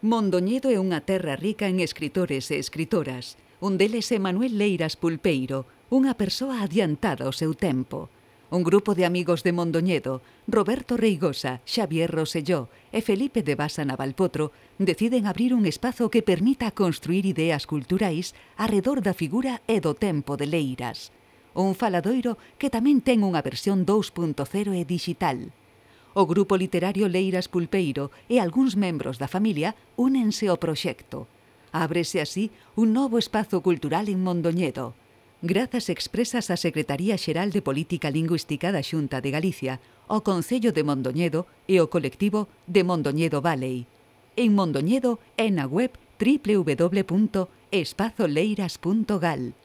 Mondoñedo é unha terra rica en escritores e escritoras. Un deles é Manuel Leiras Pulpeiro, unha persoa adiantada ao seu tempo. Un grupo de amigos de Mondoñedo, Roberto Reigosa, Xavier Roselló e Felipe de Basa Navalpotro, deciden abrir un espazo que permita construir ideas culturais arredor da figura e do tempo de Leiras. Un faladoiro que tamén ten unha versión 2.0 e digital. O grupo literario Leiras Pulpeiro e algúns membros da familia únense ao proxecto. Ábrese así un novo espazo cultural en Mondoñedo. Grazas expresas á Secretaría Xeral de Política Lingüística da Xunta de Galicia, ao Concello de Mondoñedo e ao colectivo de Mondoñedo Valley. En Mondoñedo e na web www.espazoleiras.gal.